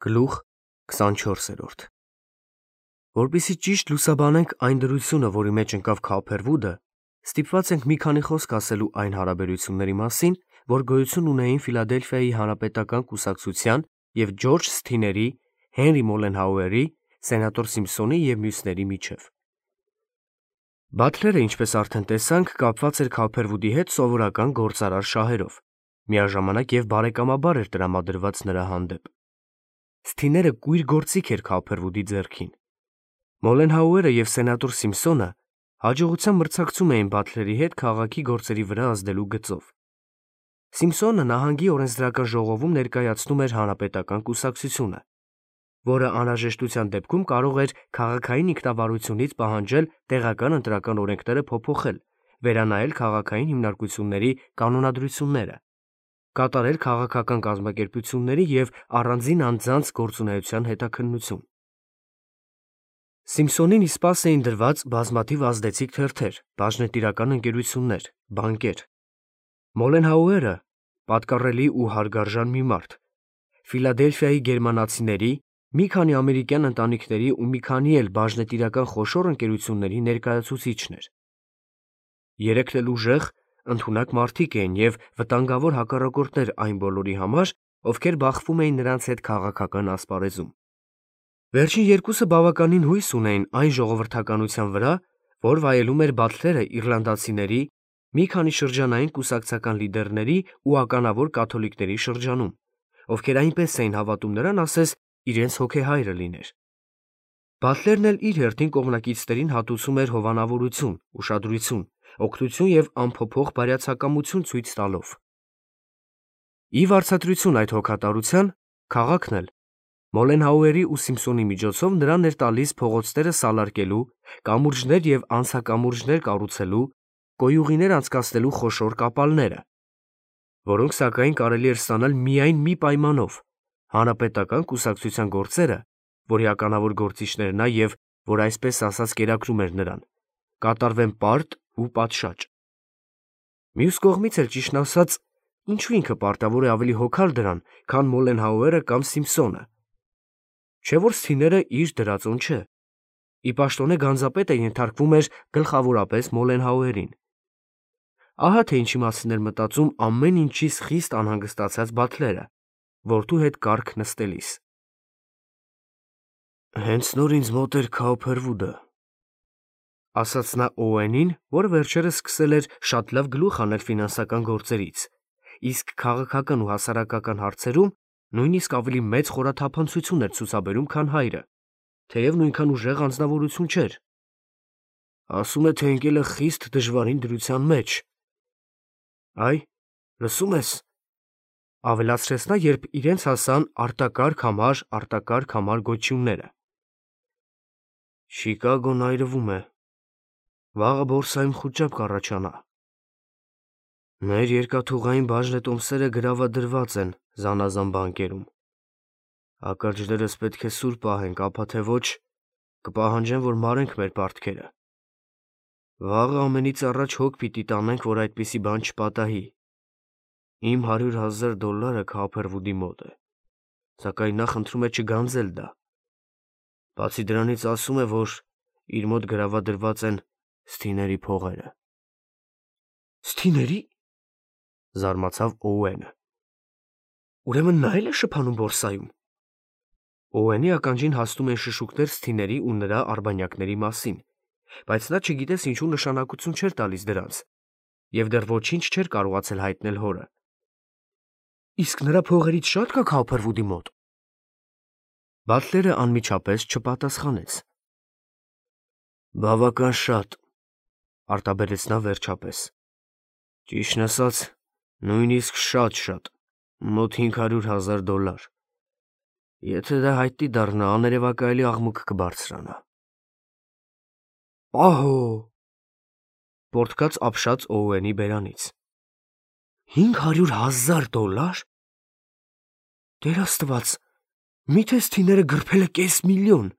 Գլուխ 24-րդ Որպեսզի ճիշտ լուսաբանենք այն դրությունը, որի մեջ ընկավ Քոփերվուդը, ստիպված ենք մի քանի խոսք ասելու այն հարաբերությունների մասին, որ գոյություն ունեին Ֆիլադելֆիայի հանրապետական կուսակցության և Ջորջ Սթիների, Հենրի Մոլենհաուերի, սենատոր Սիմփսոնի և մյուսների միջև։ Բաթլերը, ինչպես արդեն տեսանք, կապված էր Քոփերվուդի հետ սովորական գործարար շահերով, միաժամանակ և բարեկամաբար էր տրամադրված նրա հանդեպ։ Սթիները կույր գործիք էր Քոփերվուդի ձեռքին։ Մոլենհաուերը և սենատոր Սիմփսոնը հաջողությամբ մրցակցում էին Բաթլերի հետ քաղաքի գործերի վրա ազդելու գծով։ Սիմփսոնը նահանգի օրենսդրական ժողովում ներկայացնում էր հանրապետական կուսակցությունը, որը անհրաժեշտության դեպքում կարող էր քաղաքային ինքնավարությունից պահանջել տեղական ընտրական օրենքները փոփոխել, վերանայել քաղաքային հիմնարկությունների կանոնադրությունները, կատարել քաղաքական կազմակերպությունների և առանձին անձանց գործունեության հետաքննություն։ Սիմփսոնին ի սպաս էին դրված բազմաթիվ ազդեցիկ թերթեր, բաժնետիրական ընկերություններ, բանկեր։ Մոլենհաուերը պատկառելի ու հարգարժան մի մարդ, Ֆիլադելֆիայի գերմանացիների, մի քանի ամերիկյան ընտանիքների ու մի քանի էլ բաժնետիրական խոշոր ընկերությունների ներկայացուցիչն էր։ Երեքն էլ ուժեղ, ընդունակ մարդիկ էին և վտանգավոր հակառակորդներ այն բոլորի համար, ովքեր բախվում էին նրանց հետ քաղաքական ասպարեզում։ Վերջին երկուսը բավականին հույս ունեին այն ժողովրդականության վրա, որ վայելում էր Բաթլերը իռլանդացիների, մի քանի շրջանային կուսակցական լիդերների ու ականավոր կաթոլիկների շրջանում, ովքեր այնպես էին հավատում նրան, ասես իրենց հոգեհայրը լիներ։ Բաթլերն էլ իր հերթին կողմնակիցներին հատուցում էր հովանավորություն, ուշադրություն, օգնություն և անփոփոխ բարյացակամություն ցույց տալով։ Ի վարձատրություն այդ հոգատարության, քաղաքն էլ Մոլենհաուերի ու Սիմփսոնի միջոցով նրան էր տալիս փողոցները սալարկելու, կամուրջներ և անցակամուրջներ կառուցելու, կոյուղիներ անցկացնելու խոշոր կապալները, որոնք սակայն կարելի էր ստանալ միայն մի պայմանով՝ հանրապետական կուսակցության գործերը, որի ականավոր գործիչն էր նա և որ այսպես ասած կերակրում էր նրան, կատարվեն պարտ ու պատշաճ։ Մյուս կողմից էլ, ճիշտն ասած, ինչու ինքը պարտավոր է ավելի հոգալ դրան, քան Մոլենհաուերը կամ Սիմփսոնը։ Չէ՞ որ Սթիները իր դրածոն չէ։ Ի պաշտոնե գանձապետը ենթարկվում էր գլխավորապես Մոլենհաուերին։ Ահա թե ինչի մասին էր մտածում ամեն ինչից խիստ անհանգստացած Բաթլերը, որդու հետ կառք նստելիս։ «Հենց նոր ինձ մոտ էր Քոփերվուդը», ասաց նա Օուենին, որը վերջերս սկսել էր շատ լավ գլուխ անել ֆինանսական գործերից, իսկ քաղաքական ու հասարակական հարցերում նույնիսկ ավելի մեծ խորաթափանցություն էր ցուցաբերում, քան հայրը, թեև նույնքան ուժեղ անձնավորություն չէր։ Ասում է, թե ընկել է խիստ դժվարին դրության մեջ։ Այ, լսում ես, ավելացրեց նա, երբ իրենց հասան արտակարգ համար գոչյունները։ Չիկագոն այրվում է։ Վաղը բորսայում խուճապ կառաջանա։ Մեր երկաթուղային բաժնետոմսերը գրավադրված են զանազան բանկերում։ Ականջներս պետք է սուր պահենք, ապա թե ոչ կպահանջեն, որ մարենք մեր պարտքերը։ Վաղը ամենից առաջ հոգ պիտի տանենք, որ այդպիսի բան չպատահի։ Իմ $100,000 Քոփերվուդի մոտ է, սակայն նա խնդրում է չգանձել դա։ Բացի դրանից ասում է, որ իր մոտ գրավադրված են Սթիների փողերը։ Սթիների՞, զարմացավ Օուենը։ Ուրեմն նա էլ է շփանում բորսայում։ Օուենի ականջին հասնում են շշուկներ Սթիների ու նրա արբանյակների մասին, բայց նա չգիտես ինչու նշանակություն չէր տալիս դրանց և դեռ ոչինչ չէր կարողացել հայտնել հորը։ Իսկ նրա փողերից շա՞տ կա Քոփերվուդի մոտ։ Բաթլերը անմիջապես չպատասխանեց։ Բավական շատ, արտաբերեց նա վերջապես։ Ճիշտն ասած, նույնիսկ շատ, մոտ $500,000։ Եթե դա հայտնի դառնա, աներևակայելի աղմուկ կբարձրանա։ Ահո, պոռթկաց ապշած Օուենի բերանից։ $500,000։ Տեր Աստված, միթե Սթիները գրփել է $500,000։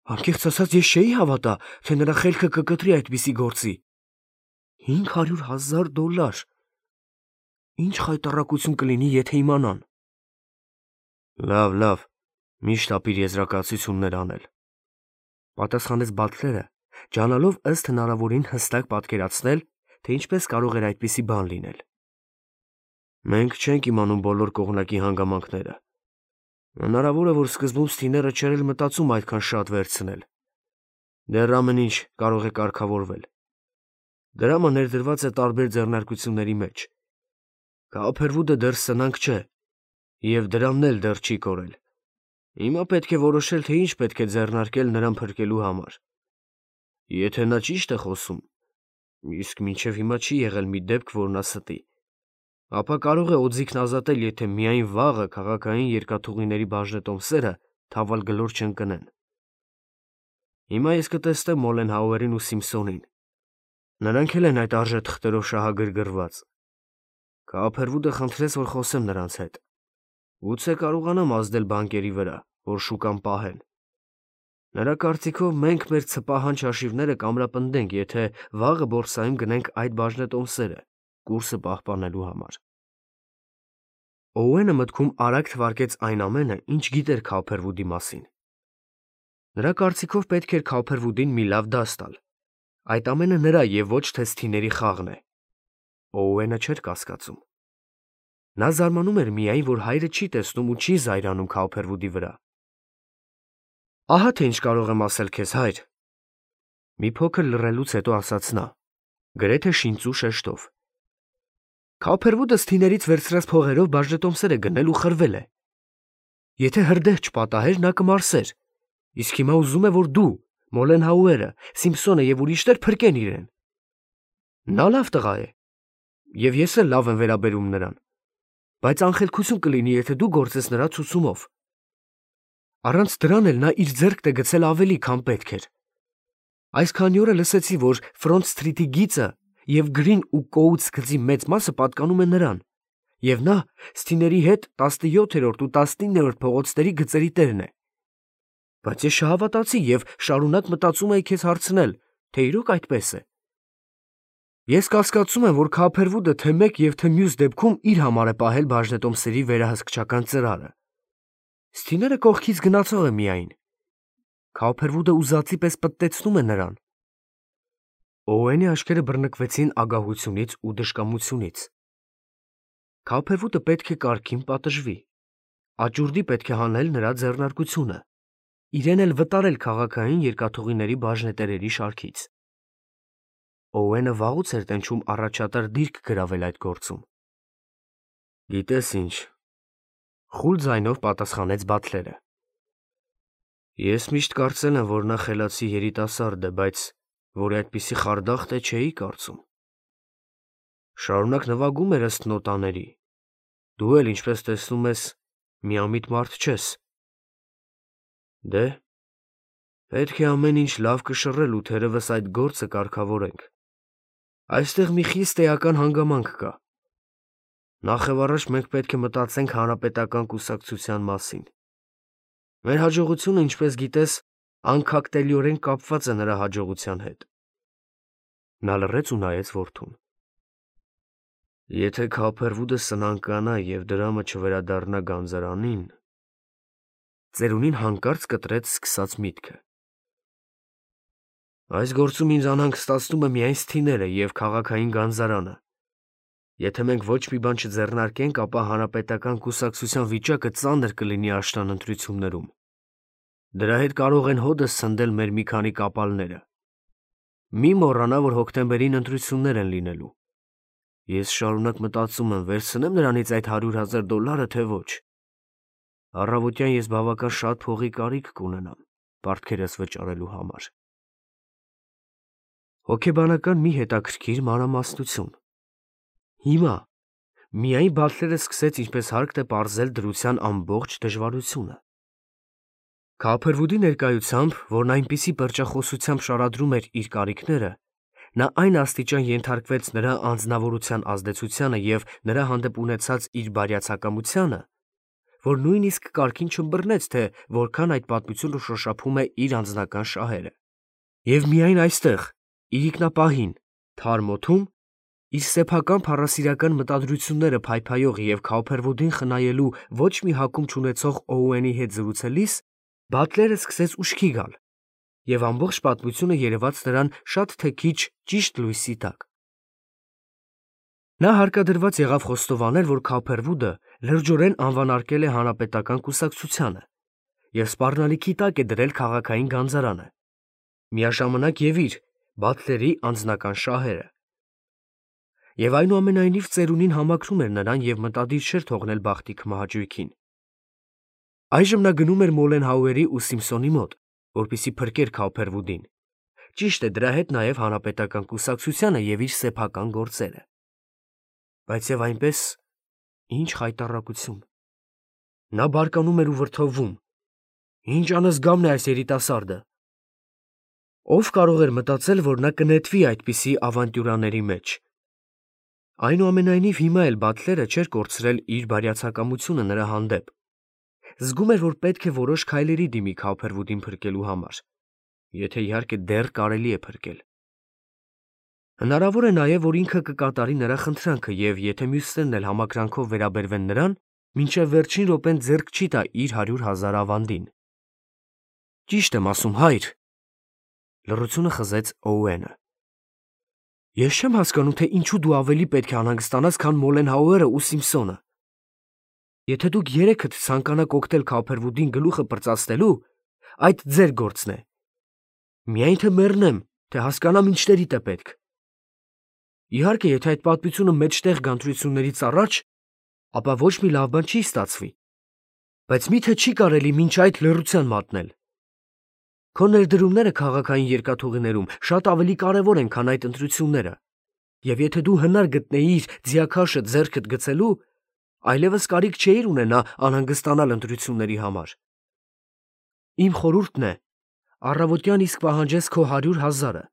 Անկեղծ ասած, ես չէի հավատա, թե նրա խելքը կկտրի այդպիսի գործի։ $500,000։ Ինչ խայտառակություն կլինի, եթե իմանան։ Լավ, միշտ ապիր եզրակացություններ անել, պատասխանեց Բատլերը, ջանալով ըստ հնարավորին հստակ պատկերացնել, թե ինչպես կարող էր այդպիսի բան լինել։ Մենք չենք իմանում բոլոր կողմնակի հանգամանքները։ Հնարավոր է, որ սկզբում Սթիները չէր էլ մտածում այդքան շատ վերցնել։ Դեռ ամեն ինչ կարող է կարգավորվել։ Դրամը ներդրված է տարբեր ձեռնարկությունների մեջ։ Քափերվուդը դեռ սնանկ չէ, և դրամն էլ դեռ չի կորել։ Հիմա պետք է որոշել, թե ինչ պետք է ձեռնարկել նրան փրկելու համար։ Եթե նա ճիշտ է խոսում, իսկ մինչև հիմա չի եղել մի դեպք, որ նա ստի, ապա կարող է օձիքն ազատել, եթե միայն վաղը քաղաքային երկաթուղիների բաժնետոմսերը թավալ գլոր չընկնեն։ Հիմա ես կտեսնեմ Մոլենհաուերին ու Սիմպսոնին։ Նրանք էլ են այդ արժե թղթերով շահագրգռված։ Քափերվուդը խնդրեց, որ խոսեմ նրանց հետ։ Գուցե կարողանամ ազդել բանկերի վրա, որ շուկան պահեն։ Նրա կարծիքով մենք մեր ցպահանջ հաշիվները կամրապնդենք, եթե վաղը բորսայում գնենք այդ բաժնետոմսերը, կուրսը պահպանելու համար։ Օուենը մտքում արագ թվարկեց այն ամենը, ինչ գիտեր Քափերվուդի մասին։ Նրա կարծիքով պետք էր Քափերվուդին մի լավ դաս տալ։ Այդ ամենը նրա և ոչ թե Սթիների խաղն է։ Օուենը չէր կասկածում։ Նա զարմանում էր միայն, որ հայրը չի տեսնում ու չի զայրանում Քափերվուդի վրա։ Ահա թե ինչ կարող եմ ասել քեզ, հայր։ Մի փոքր լռելուց հետո ասաց նա, գրեթե շինծու շեշտով։ Քափերվուդը Սթիներից վերցրած փողերով բաժնետոմսեր է գնել ու խրվել է։ Եթե հրդեհ չպատահեր, նա կմարսեր։ Իսկ հիմա ուզում է, որ դու, Մոլենհաուերը, Սիմպսոնը և ուրիշներ փրկեն իրեն։ Նա լավ տղա է, և ես էլ լավ եմ վերաբերում նրան, բայց անխելքություն կլինի, եթե դու գործես նրա ցուցումով։ Առանց դրան էլ նա իր ձեռքն է գցել ավելի, քան պետք էր։ Այս քանի օրը լսեցի, որ Ֆրոնտ Սթրիթի գիծը և Գրին ու Կոուտս գծի մեծ մասը պատկանում է նրան, և նա Սթիների հետ 17-րդ ու 19-րդ փողոցների գծերի տերն է։ Բայց ես չհավատացի և շարունակ մտածում էի քեզ հարցնել, թե իրոք այդպես է։ Ես կասկածում եմ, որ Քափերվուդը թե մեկ և թե մյուս դեպքում իր համար է պահել բաժնետոմսերի վերահսկչական ծրարը։ Սթիները կողքից գնացող է միայն։ Քափերվուդը ուզածի պես պտտեցնում է նրան։ Օուենի աչքերը բռնկվեցին ագահությունից ու դժկամությունից։ Քափերվուդը պետք է կարգին պատժվի։ Աճուրդի պետք է հանել նրա ձեռնարկությունը, իրեն էլ վտարել քաղաքային երկաթուղիների բաժնետերերի շարքից։ Օուենը վաղուց էր տենչում առաջատար դիրք գրավել այդ գործում։ Գիտես ինչ, խուլ ձայնով պատասխանեց Բատլերը։ Ես միշտ կարծել եմ, որ նա խելացի երիտասարդ է, բայց որ այդպիսի խարդախտ է չէի կարծում։ Շարունակ նվագում էր ըստ նոտաների։ Դու էլ, ինչպես տեսնում ես, միամիտ մարդ չես։ Դե, պետք է ամեն ինչ լավ կշռել ու թերևս այդ գործը կարգավորենք։ Այստեղ մի խիստ էական հանգամանք կա։ Նախևառաջ մենք պետք է մտածենք հանրապետական կուսակցության մասին։ Մեր հաջողությունը, ինչպես գիտես, անքակտելիորեն կապված է նրա հաջողության հետ։ Նա լռեց ու նայեց որդուն։ Եթե Քափերվուդը սնանկանա և դրամը չվերադառնա գանձարանին, ծերունին հանկարծ կտրեց սկսած միտքը։ Այս գործում ինձ անհանգ ստացնում է միայն Սթիները և քաղաքային գանձարանը։ Եթե մենք ոչ մի բան չձեռնարկենք, ապա հանրապետական կուսակցության վիճակը ծանր կլինի աշնան ընտրություններում։ Դրա հետ կարող են հօդս ցնդել մեր մի քանի կապալները։ Մի մոռանա, որ հոկտեմբերին ընտրություններ են լինելու։ Ես շարունակ մտածում եմ, վերցնեմ նրանից այդ $100,000, թե ոչ։ Առավոտյան ես բավական շատ փողի կարիք կունենամ պարտքերս վճարելու համար։ Հոգեբանական մի հետաքրքիր մանրամասնություն։ Հիմա միայն Բատլերը սկսեց ինչպես հարկտ է պարզել դրության ամբողջ դժվարությունը։ Քափերվուդի ներկայությամբ, որն այնպիսի պերճախոսությամբ շարադրում էր իր կարիքները, նա այն աստիճան ենթարկվեց նրա անձնավորության ազդեցությանը և նրա հանդեպ ունեցած իր բարյացակամությանը, որ նույնիսկ կարգին չըմբռնեց, թե որքան այդ պատմությունը շոշափում է իր անձնական շահերը։ Եվ միայն այստեղ, իրիկնապահին, թարմ օդում, Իր սեփական փառասիրական մտադրությունները փայփայող եւ Քաուփերվուդին խնայելու ոչ մի հակում չունեցող Օուենի հետ զրուցելիս Բատլերը սկսեց ուշքի գալ, եւ ամբողջ պատմությունը երևաց նրան շատ թե քիչ ճիշտ լույսի տակ։ Նա հարկադրված եղավ խոստովանել, որ Քաուփերվուդը լրջորեն անվանարկել է հանրապետական կուսակցությանը եւ սպառնալիքի տակ է դրել քաղաքային գանձարանը, միաժամանակ եւ իր Բատլերի անձնական շահերը։ Եվ այնուամենայնիվ ծերունին համակրում էր նրան եւ մտադիր չէր թողնել բախտի քմահաճույքին։ Այժմ նա գնում էր Մոլենհաուերի ու Սիմպսոնի մոտ, որպեսզի փրկեր Քաուփերվուդին։ Ճիշտ է, դրա հետ նաեւ հանրապետական կուսակցությանը եւ իր սեփական գործերը։ Բայց եւ այնպես ինչ խայտառակություն։ Նա բարկանում էր ու վրդովվում։ Ինչ անզգամն է այս երիտասարդը։ Ով կարող էր մտածել, որ նա կնետվի այդպիսի ավանտյուրաների մեջ։ Այնուամենայնիվ հիմա էլ Բատլերը չէր կորցրել իր բարյացակամությունը նրա հանդեպ։ Զգում էր, որ պետք է որոշ քայլերի դիմի Քաուփերվուդին փրկելու համար, եթե իհարկե դեռ կարելի է փրկել։ Հնարավոր է նաև, որ ինքը կկատարի նրա խնդրանքը եւ եթե մյուսներն էլ համակրանքով վերաբերվեն նրան, մինչև վերջին րոպեն ձեռք չի տա իր 100,000 ավանդին։ Ճիշտ եմ ասում, հայր, լռությունը խզեց Օուենը։ Ես չեմ հասկանում, թե ինչու դու ավելի պետք է անհանգստանաս, քան Մոլենհաուերը ու Սիմպսոնը։ Եթե դուք երեքդ ցանկանաք օգտել Քաուփերվուդին գլուխը պրծացնելու, այդ ձեր գործն է։ Միայն թե մեռնեմ, թե հասկանամ ինչներիդ է պետք։ Իհարկե, եթե այդ պատմությունը մեջտեղ գանտրություններից առաջ, ապա ոչ մի լավ բան չի ստացվի։ Բայց միթե չի կարելի մինչ այդ լռության մատնել։ Քո ներդրումները քաղաքային երկաթուղիներում շատ ավելի կարևոր են, քան այդ ընտրությունները։ Եվ եթե դու հնար գտնեիր ձիաքաշը ձեռքդ գցելու, այլևս կարիք չէիր ունենա անհանգստանալ ընտրությունների համար։ Իմ խորհուրդն է, առավոտյան իսկ պահանջես քո 100,000-ը,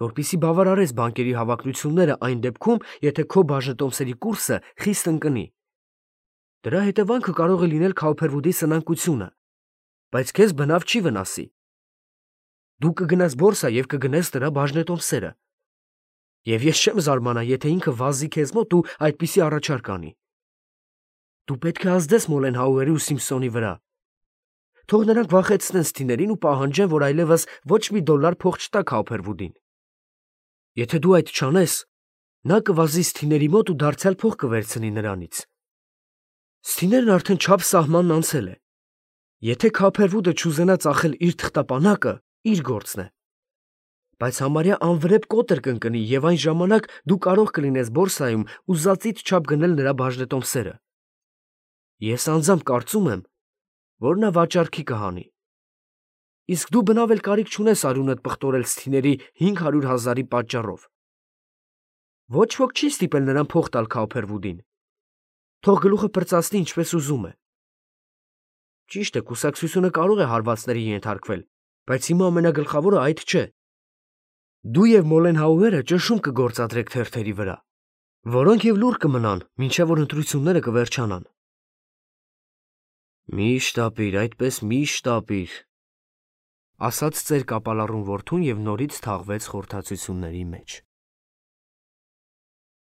որպեսզի բավարարես բանկերի հավակնությունները այն դեպքում, եթե քո բաժնետոմսերի կուրսը խիստ ընկնի։ Դրա հետևանքը կարող է լինել Քաուփերվուդի սնանկությունը, բայց քեզ բնավ չի վնասի։ Դու կգնաս բորսա եւ կգնես դրա բաժնետոմսերը։ Եվ ես չեմ զարմանա, եթե ինքը վազի քեզ մոտ ու այդպիսի առաջարկ անի։ Դու պետք է ազդես Մոլենհաուերի ու Սիմպսոնի վրա։ Թող նրանք վախեցնեն Սթիներին ու պահանջեն, որ այլևս ոչ մի $1 փող չտա Քաուփերվուդին։ Եթե դու այդ չանես, նա կվազի Սթիների մոտ ու դարձյալ փող կվերցնի նրանից։ Սթիներն արդեն չափ սահմանն անցել է։ Եթե Քաուփերվուդը չուզենա ծախել իր թղթապանակը, իր գործն է։ Բայց համարյա անվրեպ կոտր կընկնի եւ այն ժամանակ դու կարող կլինես բորսայում ուզածիդ չափ գնել նրա բաժնետոմսերը։ Ես անձամբ կարծում եմ, որ նա վաճառքի կհանի։ Իսկ դու բնավ էլ կարիք չունես արյունդ պղտորել Սթիների 500,000-ի պատճառով։ Ոչ ոք չի ստիպել նրան փող տալ Քաուփերվուդին։ Թող գլուխը պրծացնի ինչպես ուզում է։ Ճիշտ է, կուսակցությունը կարող է հարվածների ենթարկվել, բայց հիմա ամենագլխավորը այդ չէ։ Դու եւ Մոլենհաուերը ճնշում կգործադրեք թերթերի վրա, որոնք եւ լուռ կմնան, մինչեւ որ ընտրությունները կվերջանան։ Միշտ ապիր, այդպես միշտ ապիր, ասաց ծեր կապալառուն որդուն եւ նորից թաղվեց խորհրդացությունների մեջ։